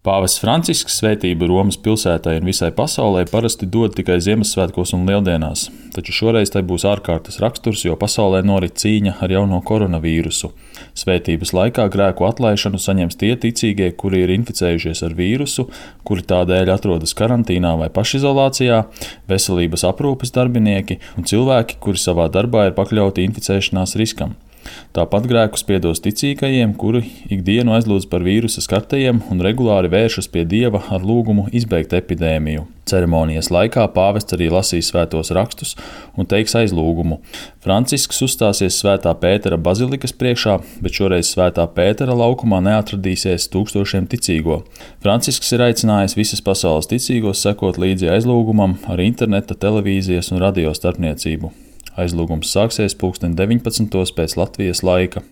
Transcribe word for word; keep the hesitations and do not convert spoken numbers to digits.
Pāvests Francisks svētību Romas pilsētai un visai pasaulē parasti dod tikai Ziemassvētkos un Lieldienās, taču šoreiz tai būs ārkārtas raksturs, jo pasaulē norit cīņa ar jauno koronavīrusu. Svētības laikā grēku atlaišanu saņems tie ticīgie, kuri ir inficējušies ar vīrusu, kuri tādēļ atrodas karantīnā vai pašizolācijā, veselības aprūpes darbinieki un cilvēki, kuri savā darbā ir pakļauti inficēšanās riskam. Tāpat grēkus piedos ticīgajiem, kuri ikdienu aizlūdz par vīrusa skartajiem un regulāri vēršas pie Dieva ar lūgumu izbeigt epidēmiju. Ceremonijas laikā pāvests arī lasīs svētos rakstus un teiks aizlūgumu. Francisks uzstāsies Svētā Pētera bazilikas priekšā, bet šoreiz Svētā Pētera laukumā neatradīsies tūkstošiem ticīgo. Francisks ir aicinājis visas pasaules ticīgos sekot līdzi aizlūgumam ar interneta, televīzijas un radio starpniecību. Aizlūgums sāksies pulksten deviņpadsmitos pēc Latvijas laika.